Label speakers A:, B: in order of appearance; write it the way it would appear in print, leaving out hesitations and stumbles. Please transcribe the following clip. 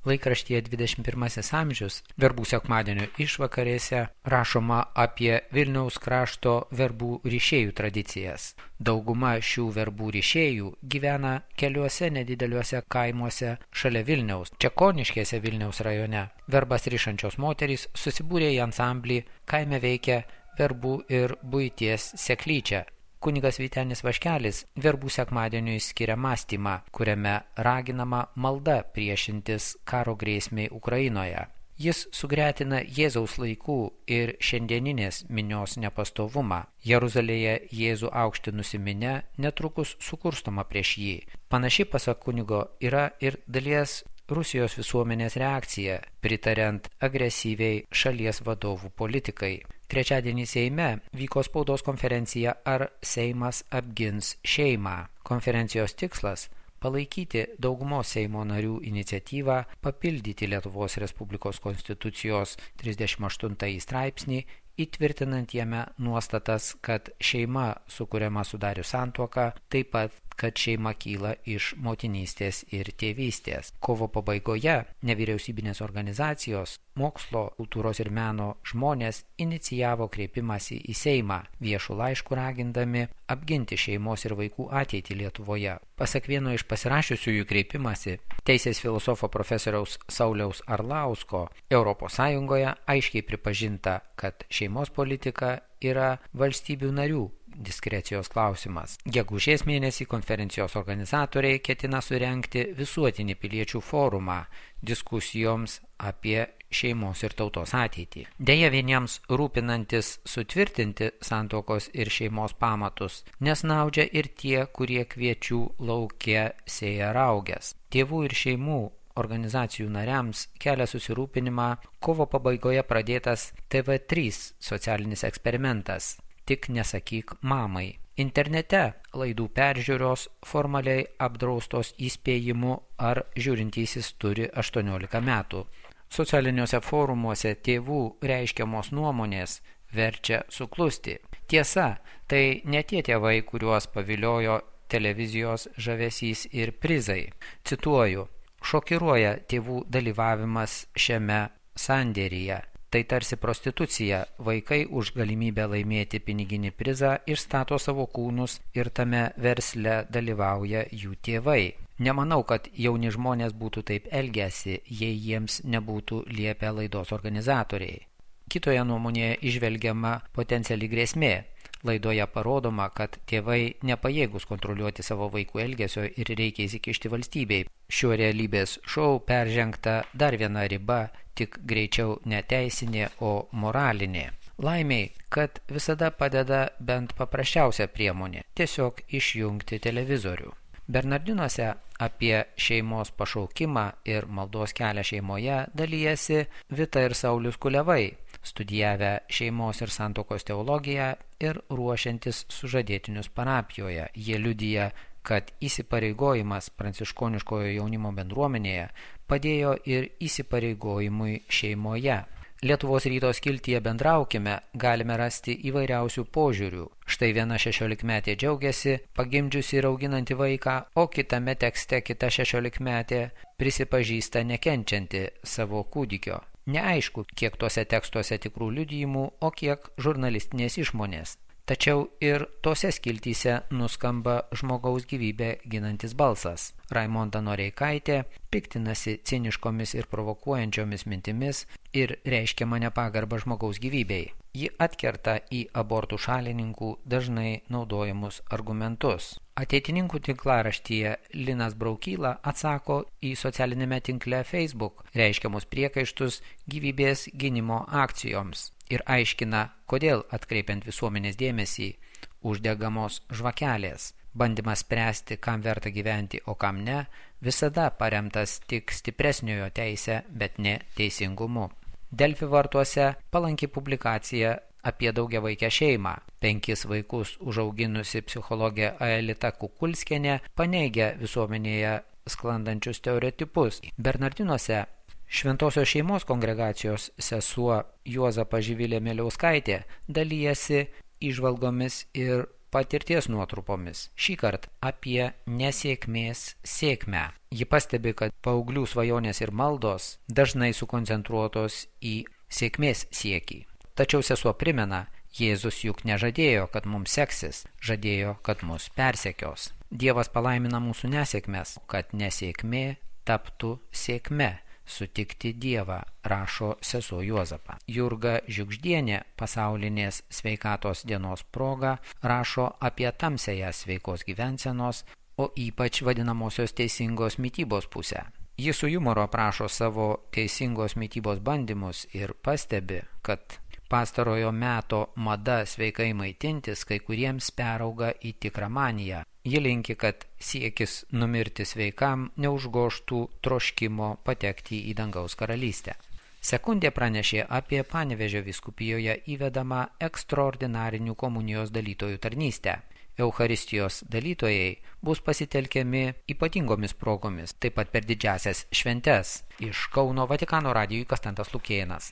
A: Laikraštyje 21 amžius verbų sekmadienio išvakarėse rašoma apie Vilniaus krašto verbų ryšėjų tradicijas. Dauguma šių verbų ryšėjų gyvena keliuose nedideliuose kaimuose šalia Vilniaus, Čekoniškėse Vilniaus rajone. Verbas rišančios moterys susibūrė į ansamblį, kaime veikia verbų ir buities seklyčia. Kunigas Vytenis Vaškelis verbų sekmadieniui skiria mąstymą, kuriame raginama malda priešintis karo grėsmei Ukrainoje. Jis sugretina Jėzaus laikų ir šiandieninės minios nepastovumą. Jeruzalėje Jėzų aukštinusi minia netrukus sukurstoma prieš jį. Panaši, pasak kunigo, yra ir dalies Rusijos visuomenės reakcija, pritariant agresyviai šalies vadovų politikai. Trečiadienį Seime vyko spaudos konferencija Ar Seimas apgins šeimą. Konferencijos tikslas – palaikyti daugumos Seimo narių iniciatyvą papildyti Lietuvos Respublikos Konstitucijos 38 straipsnį, įtvirtinant jame nuostatas, kad šeima sukuriama sudarius santuoką, taip pat, kad šeima kyla iš motinystės ir tėvystės. Kovo pabaigoje nevyriausybinės organizacijos, mokslo, kultūros ir meno žmonės inicijavo kreipimąsi į Seimą, viešų laiškų ragindami apginti šeimos ir vaikų ateitį Lietuvoje. Pasak vieno iš pasirašiusiųjų kreipimąsi, teisės filosofo profesoriaus Sauliaus Arlausko, ES aiškiai pripažinta, kad šeimos politika yra valstybių narių diskrecijos klausimas. Gegužės mėnesį konferencijos organizatoriai ketina surengti visuotinį piliečių forumą diskusijoms apie šeimos ir tautos ateitį. Deja, vieniems rūpinantis sutvirtinti santuokos ir šeimos pamatus, nesnaudžia ir tie, kurie kviečių lauke sėja rauges. Tėvų ir šeimų organizacijų nariams kelia susirūpinimą kovo pabaigoje pradėtas TV3 socialinis eksperimentas Tik nesakyk mamai. Internete laidų peržiūros formaliai apdraustos įspėjimu, ar žiūrintysis turi 18 metų. Socialiniuose forumuose tėvų reiškiamos nuomonės verčia suklusti. Tiesa, tai ne tie tėvai, kuriuos paviliojo televizijos žavesys ir prizai. Cituoju, šokiruoja tėvų dalyvavimas šiame sandėryje. Tai tarsi prostitucija, vaikai už galimybę laimėti piniginį prizą išstato savo kūnus ir tame versle dalyvauja jų tėvai. Nemanau, kad jauni žmonės būtų taip elgęsi, jei jiems nebūtų liepę laidos organizatoriai. Kitoje nuomonėje įžvelgiama potenciali grėsmė. Laidoje parodoma, kad tėvai nepajėgus kontroliuoti savo vaikų elgesio ir reikia įsikišti valstybei. Šiuo realybės šou peržengta dar viena riba, tik greičiau ne teisinė, o moralinė. Laimiai, kad visada padeda bent paprasčiausia priemonė – tiesiog išjungti televizorių. Bernardinuose apie šeimos pašaukimą ir maldos kelią šeimoje dalijasi Vita ir Saulius Kulevai, studijavę šeimos ir santuokos teologiją ir ruošiantis sužadėtinius parapijoje. Jie liudija, kad įsipareigojimas pranciškoniškojo jaunimo bendruomenėje padėjo ir įsipareigojimui šeimoje. Lietuvos ryto skiltyje Bendraukime galime rasti įvairiausių požiūrių. Štai viena 16-metė džiaugiasi, pagimdžiusi ir auginanti vaiką, o kitame tekste kita 16-metė prisipažįsta nekenčianti savo kūdikio. Neaišku, kiek tuose tekstuose tikrų liudijimų, o kiek žurnalistinės išmonės. Tačiau ir tose skiltyse nuskamba žmogaus gyvybę ginantis balsas. Raimonda Noreikaitė piktinasi ciniškomis ir provokuojančiomis mintimis ir reiškiama nepagarbą žmogaus gyvybei. Ji atkerta į abortų šalininkų dažnai naudojamus argumentus. Ateitininkų tinklaraštyje Linas Braukyla atsako į socialinėme tinkle Facebook reiškiamus priekaištus gyvybės gynimo akcijoms ir aiškina, kodėl atkreipiant visuomenės dėmesį uždegamos žvakelės. Bandymas spręsti, kam verta gyventi, o kam ne, visada paremtas tik stipresniojo teise, bet ne teisingumu. Delfi vartuose palanki publikacija apie daugiavaikę šeimą. 5 vaikus užauginusi psichologė Aelita Kukulskienė paneigia visuomenėje sklandančius stereotipus. Bernardinuose Šventosios šeimos kongregacijos sesuo Juozapa Živilė Miliauskaitė dalyjasi įžvalgomis ir patirties nuotrupomis, šįkart apie nesėkmės sėkmę. Ji pastebi, kad paauglių svajonės ir maldos dažnai sukoncentruotos į sėkmės siekį. Tačiau sesuo primena, Jėzus juk nežadėjo, kad mums seksis, žadėjo, kad mus persekios. Dievas palaimina mūsų nesėkmes, kad nesėkmė taptų sėkme. Sutikti Dievą, rašo sesuo Juozapa. Jurga Žiugždienė pasaulinės sveikatos dienos proga rašo apie tamsiąją sveikos gyvensenos, o ypač vadinamosios teisingos mitybos pusę. Ji su jumoru aprašo savo teisingos mitybos bandymus ir pastebi, kad pastarojo meto mada sveikai maitintis kai kuriems perauga į tikrą maniją. Ji linki, kad siekis numirti sveikam neužgoštų troškimo patekti į dangaus karalystę. Sekundė pranešė apie Panevėžio vyskupijoje įvedamą ekstraordinarinių komunijos dalytojų tarnystę. Eucharistijos dalytojai bus pasitelkiami ypatingomis progomis, taip pat per didžiasias šventes. Iš Kauno Vatikano radijui Konstantas Lukėnas.